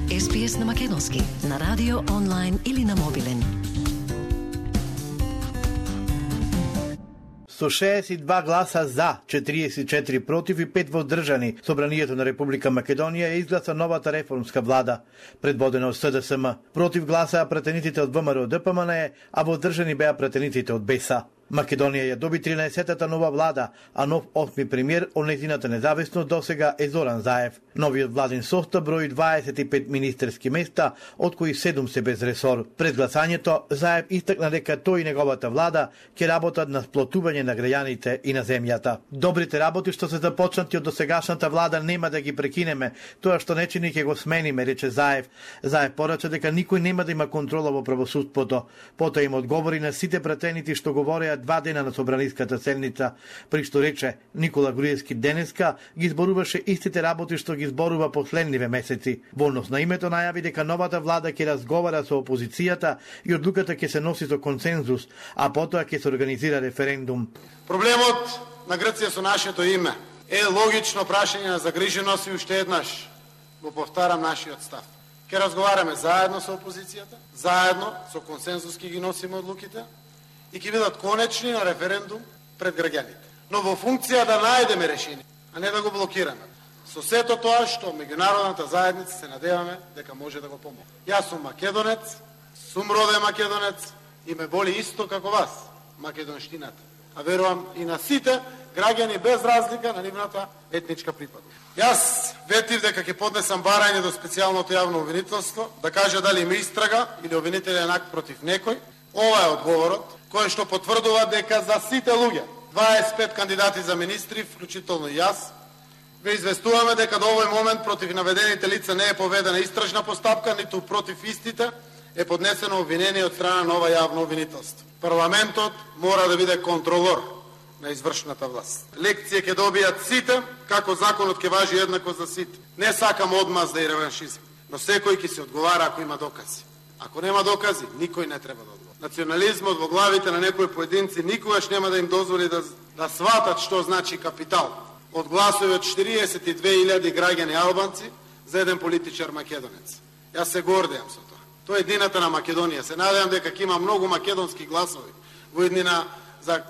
SPS на македонски, на радио, онлайн или на мобилен. Со 62 гласа за, 44 против и 5 воздржани, Собранието на Република Македонија изгласа новата реформска влада, предводена од СДСМ. Против гласаа претениците од ВМРО ДПМНЕ, а воздржани беа претениците од БЕСА. Македонија ја доби 13-тата нова влада, а нов 8ми премиер од нејзината независност досега е Зоран Заев. Новиот владин состав брои 25 министерски места, од кои 7 се без ресор. Пред гласањето Заев истакна дека тој и неговата влада ќе работат на сплотување на граѓаните и на земјата. Добрите работи што се започнати од досегашната влада нема да ги прекинеме, тоа што не чини ќе го смениме, рече Заев. Заев порача дека никој нема да има контрола во правосудството. Потоа им одговори на сите претеници што говореа 2 дена на собраниската седница, при што рече Никола Груевски денеска ги зборуваше истите работи што ги зборува последниве месеци. Во однос на името најави дека новата влада ќе разговара со опозицијата и одлуката ќе се носи со консензус, а потоа ќе се организира референдум. Проблемот на Грција со нашето име е логично прашање на загриженост и уште еднаш го повтарам нашиот став. Ќе разговараме заедно со опозицијата, заедно со консензус ќе ги носиме одлуките и ќе бидат конечни на референдум пред граѓаните. Но во функција да најдеме решение, а не да го блокираме. Со сето тоа што меѓународната заедница се надеваме дека може да го помогне. Јас сум македонец, сум роден македонец и ме боли исто како вас, македонштината. А верувам и на сите граѓани без разлика на нивната етничка припадност. Јас ветив дека ќе поднесам барање до специјалното јавно обвинителство да каже дали има истрага или обвинителен акт против некој. Ова е одговорот кој што потврдува дека за сите луѓе, 25 кандидати за министри, вклучително и јас, ве известуваме дека до овој момент против наведените лица не е поведена истражна постапка, ниту против истите е поднесено обвинение од страна на ова јавно обвинителство. Парламентот мора да биде контролор на извршната власт. Лекција ќе добијат сите, како законот ќе важи еднакво за сите. Не сакам одмазда и реваншизм, но секој ќе се одговара ако има докази. Ако нема докази, никој не треба да одговара. Национализмот во главите на некои поединци никогаш нема да им дозволи да сватат што значи капитал. Од гласови од 42.000 граѓани албанци за еден политичар македонец. Јас се гордеам со тоа. Тоа е еднината на Македонија. Се надевам дека ќе има многу македонски гласови во еднина за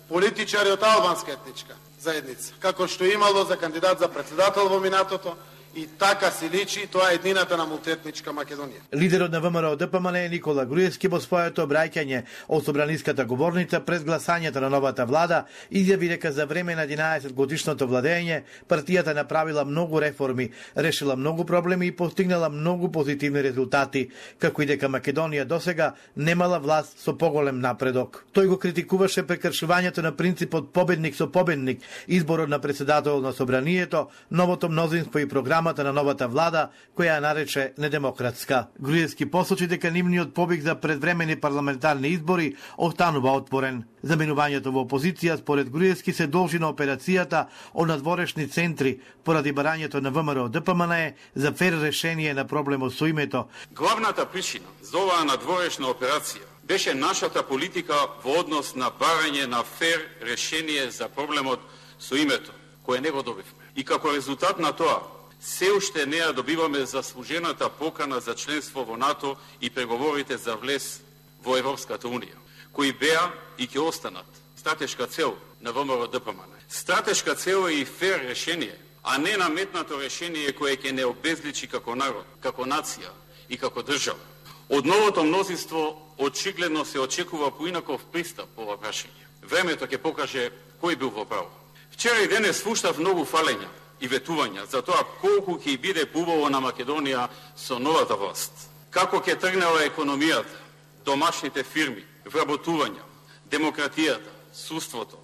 политичари од албанска етничка заедница, како што имало за кандидат за председател во минатото. И така се личи, тоа е еднината на мултиетничка Македонија. Лидерот на ВМРО ДПМНЕ Никола Груевски во своето обраќање од собраниската говорница пред гласањето на новата влада изјави дека за време на 11 годишното владење партијата направила многу реформи, решила многу проблеми и постигнала многу позитивни резултати, како и дека Македонија досега немала власт со поголем напредок. Тој го критикуваше прекршувањето на принципот победник со победник, изборот на председател на собранието, новото мнозинство и програмата на новата влада, која ја нарече недемократска. Груевски посочи дека нивниот побег за предвремени парламентарни избори останува отворен. Заменувањето во опозиција според Груевски се должи на операцијата од надворешни центри поради барањето на ВМРО ДПМНЕ за фер решение на проблемот со името. Главната причина за оваа надворешна операција беше нашата политика во однос на барање на фер решение за проблемот со името, кое не го добивме. И како резултат на тоа, се уште не ја добиваме заслужената покана за членство во НАТО и преговорите за влез во Европската Унија, кои беа и ќе останат стратешка цел на ВМРО ДПМНЕ. Стратешка цел е и фер решение, а не наметнато решение кое ќе не обезличи како народ, како нација и како држава. Од новото мнозинство очигледно се очекува поинаков пристап по ова прашање. Времето ќе покаже кој бил во право. Вчера и денес слушнав многу фалења и ветувања за тоа колку ќе биде поубаво на Македонија со новата власт. Како ќе тргнела економијата, домашните фирми, вработувања, демократијата, судството,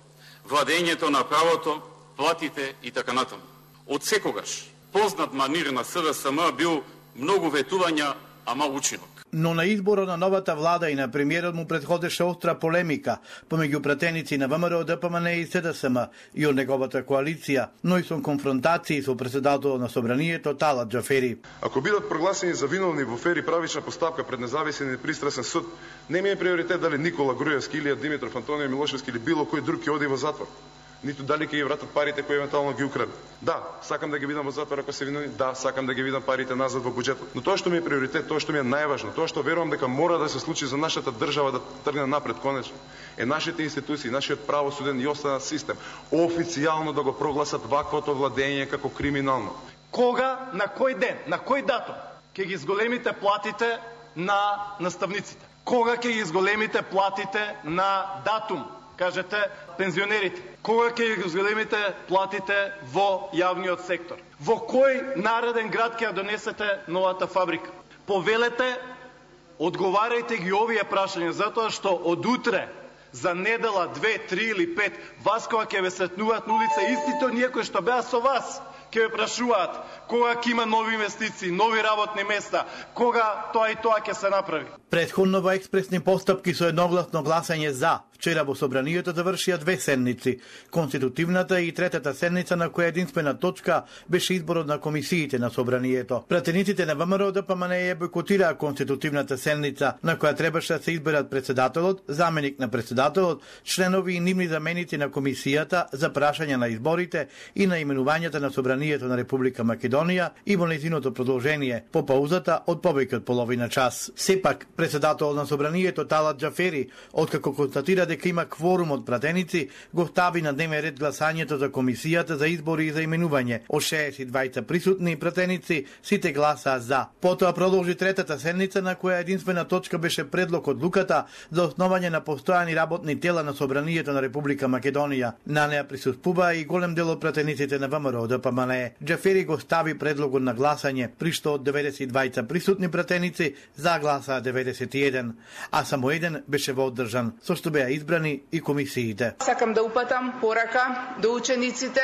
владењето на правото, платите и така натаму. Од секогаш познат манир на СДСМ бил многу ветувања, а мал учинок. Но на изборот на новата влада и на премиерот му предходеше остра полемика помеѓу пратеници на ВМРО ДПМНЕ и СДСМ и од неговата коалиција, но и со конфронтации со председателот на собранието Талат Џафери. Ако бидат прогласени за виновни во фер и правична постапка пред независен и пристрасен суд, не ми е приоритет дали Никола Груевски, Илија Димитров, Антонио Милошевски или било кој друг ќе оди во затвор. ниту дали ќе ги вратат парите кои евентуално ги украде. Да, сакам да ги видам во затвор ако се виновни, да, сакам да ги видам парите назад во буџетот. Но тоа што ми е приоритет, тоа што ми е најважно, тоа што верувам дека мора да се случи за нашата држава да тргне напред конечно, е нашите институции, нашиот правосуден и останат систем официјално да го прогласат ваквото владење како криминално. Кога, на кој ден, на кој датум ќе ги зголемите платите на наставниците? Кога ќе ги зголемите платите на датум? Кажете, пензионерите. Кога ќе ги зголемите платите во јавниот сектор? Во кој нареден град ќе ја донесете новата фабрика? Повелете, одговарајте ги овие прашања, затоа што од утре, за недела, 2, 3 или 5, вас кога ќе ве сретнуваат на улица, истите оние кои што беа со вас, ќе ве прашуваат кога ќе има нови инвестиции, нови работни места, кога тоа и тоа ќе се направи. Претходно во експресни постапки со едногласно гласање за, вчера во собранието завршија 2 седници. Конститутивната и третата седница на која единствена точка беше изборот на комисиите на собранието. Пратениците на ВМРО ДПМНЕ ја бойкотираа конститутивната седница, на која требаше да се изберат председателот, заменик на председателот, членови и нивни заменици на комисијата за прашање на изборите и на именувањата на собранието на Република Македонија и во нејзиното продолжение по паузата од повеќе од половина час. Сепак, председател на собранието Талат Џафери, откако констатира дека има кворум од пратеници, го стави на дневен ред гласањето за комисијата за избори и за именување. Од 62 присутни пратеници, сите гласаа за. Потоа продолжи третата седница на која единствена точка беше предлог од луката за основање на постојани работни тела на собранието на Република Македонија. На неа присуствуваа и голем дел од пратениците на ВМРО ДПМНЕ. Џафери го стави предлогот на гласање, при што од 92 присутни пратеници за гласаа 91, а само еден беше вооддржан, со што беа избрани и комисиите. Сакам да упатам порака до учениците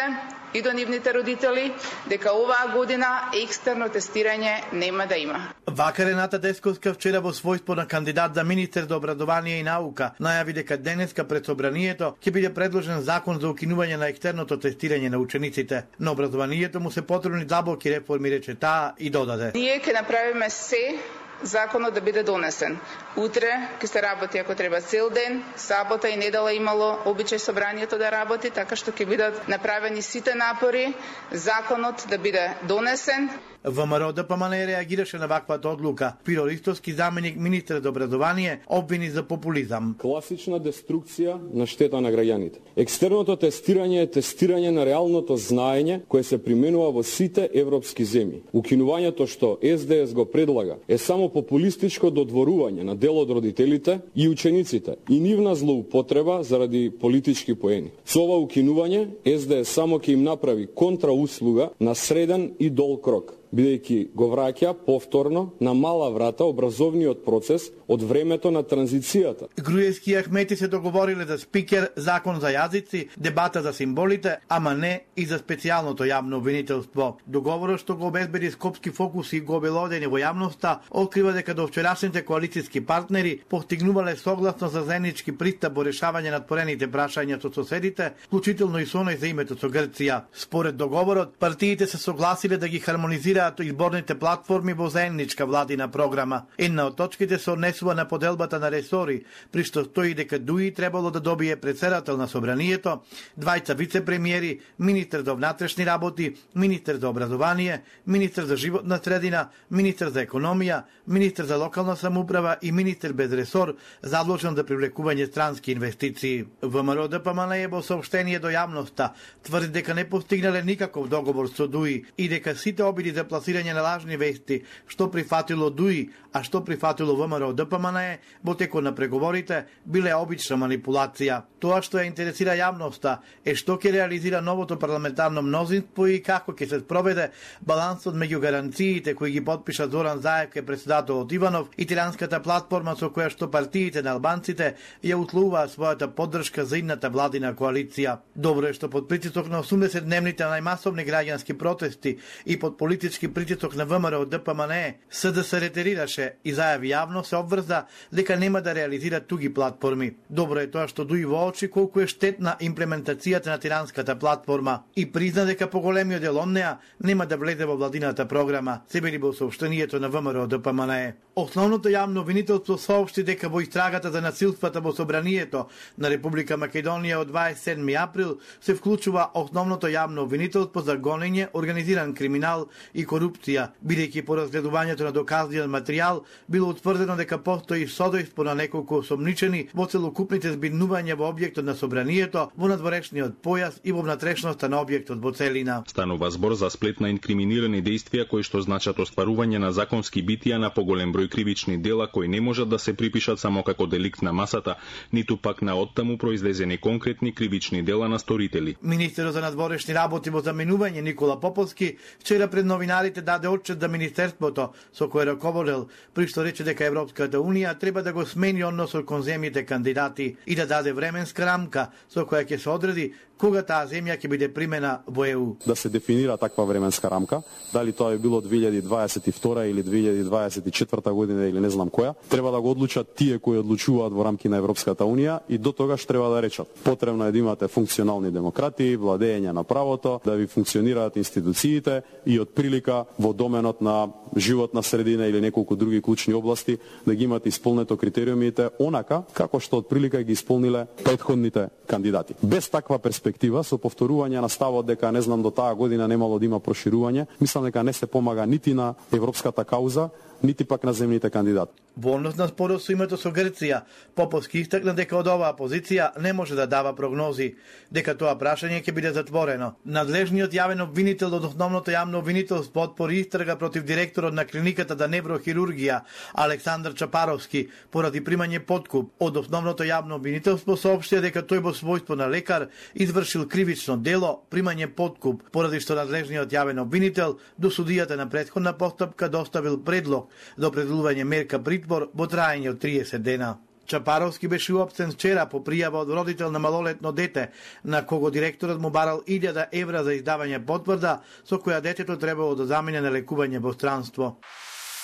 и до нивните родители дека оваа година екстерно тестирање нема да има. Вака Рената Десковска вчера во својство на кандидат за министер за образование и наука најави дека денеска пред собранието ќе биде предложен закон за укинување на екстерното тестирање на учениците. На образованието му се потребни длабоки реформи, рече таа и додаде. Ние ќе направиме се законот да биде донесен. Утре ќе се работи ако треба цел ден, сабота и недела имало обичај собранието да работи, така што ќе бидат направени сите напори законот да биде донесен. ВМРО ДПМНЕ реагираше на ваквата одлука. Пиро Ристовски, заменик министер за образование, обвини за популизам. Класична деструкција на штета на граѓаните. Екстерното тестирање е тестирање на реалното знаење кое се применува во сите европски земји. Укинувањето што СДС го предлага е само популистичко додворување на дел од родителите и учениците и нивна злоупотреба заради политички поени. Со ова укинување СДС само ќе им направи контрауслуга на среден и дол крок, бидејќи го враќа повторно на мала врата образовниот процес од времето на транзицијата. Груевски и Ахмети се договориле за спикер, закон за јазици, дебата за символите, ама не и за специјалното јавно обвинителство. Договорот што го обезбеди Скопски фокус и го обелодени во јавноста, открива дека до вчерашните коалицијски партнери постигнувале согласно за заеднички пристап во решавање на отворените прашања со соседите, вклучително и со оној за името со Грција. Според договорот, партиите се согласиле да ги хармонизираат изборните платформи во заедничка владина програма. Една од точките се однесува на поделбата на ресори, при што стои дека ДУИ требало да добие председател на собранието, двајца вице-премиери, министер за внатрешни работи, министер за образование, министер за животна средина, министер за економија, министер за локална самоуправа и министер без ресор, задолжен за привлекување странски инвестиции. ВМРО ДПМНЕ во соопштение до јавноста тврди дека не постигнале никаков договор со ДУИ и дека сите обиди за пласирање на лажни вести, што прифатило ДУИ, а што прифатило ВМРО ДПМНЕ во текот на преговорите, биле обична манипулација. Тоа што ја интересира јавноста е што ќе реализира новото парламентарно мнозинство и како ќе се спроведе балансот меѓу гаранциите кои ги подпиша Зоран Заев ке председателот Иванов и тиранската платформа со која што партиите на албанците ја условуваат својата поддршка за идната владина коалиција. Добро е што под притисок на 80-дневните најмасовни граѓански протести и под политички политички притисок на ВМРО од ДПМНЕ, СДС ретерираше и зајави јавно се обврза дека нема да реализира туги платформи. Добро е тоа што дуи во очи колку е штетна имплементацијата на тиранската платформа и призна дека поголемиот дел од неа нема да влезе во владината програма, се вели во соопштението на ВМРО ДПМНЕ. Основното јавно обвинителство соопшти дека во истрагата за насилствата во собранието на Република Македонија од 27 април се вклучува основното јавно обвинителство за гонење, организиран криминал и корупција, бидејќи по разгледувањето на доказниот материјал било утврдено дека постои содејство на неколку осомничени во целокупните збирнувања во објектот на собранието, во надворешниот појас и во внатрешноста на објектот во целина. Станува збор за сплет на инкриминирани дејствија кои што значат остварување на законски битија на поголем број кривични дела кои не можат да се припишат само како деликт на масата, ниту пак на оттаму произлезени конкретни кривични дела на сторители. Министерот за надворешни работи во заменување Никола Поповски вчера пред новинарите даде отчет за министерството со кое раководел, при што рече дека Европската унија треба да го смени односот кон земјите кандидати и да даде временска рамка со која ќе се одреди кога таа земја ќе биде примена во ЕУ. Да се дефинира таква временска рамка, дали тоа е било 2022 или 2024 година или не знам која, треба да го одлучат тие кои одлучуваат во рамки на Европската унија и до тогаш треба да речат. Потребно е да имате функционални демократи, владење на правото, да ви функционираат институциите и од прилика во доменот на животна средина или неколку други клучни области да ги имате исполнето критериумите онака како што од прилика ги исполниле претходните кандидати. Без таква перспектива, со повторување на ставот дека не знам до таа година немало да има проширување, мислам дека не се помага нити на европската кауза, нити пак на земните кандидати. Во однос на спорот со името со Грција, Поповски истакна дека од оваа позиција не може да дава прогнози, дека тоа прашање ќе биде затворено. Надлежниот јавен обвинител од основното јавно обвинителство отпори истрага против директорот на клиниката за неврохирургија Александар Чапаровски поради примање подкуп. Од основното јавно обвинителство соопштија дека тој во својство на лекар извршил кривично дело примање подкуп, поради што надлежниот јавен обвинител до судијата на претходна постапка доставил предлог за определување мерка притвор во траење од 30 дена. Чапаровски беше уапсен вчера по пријава од родител на малолетно дете, на кого директорот му барал 1000 евра за издавање потврда, со која детето требало да замине на лекување во странство.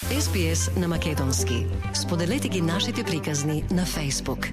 SBS на македонски. Споделете ги нашите приказни на Facebook.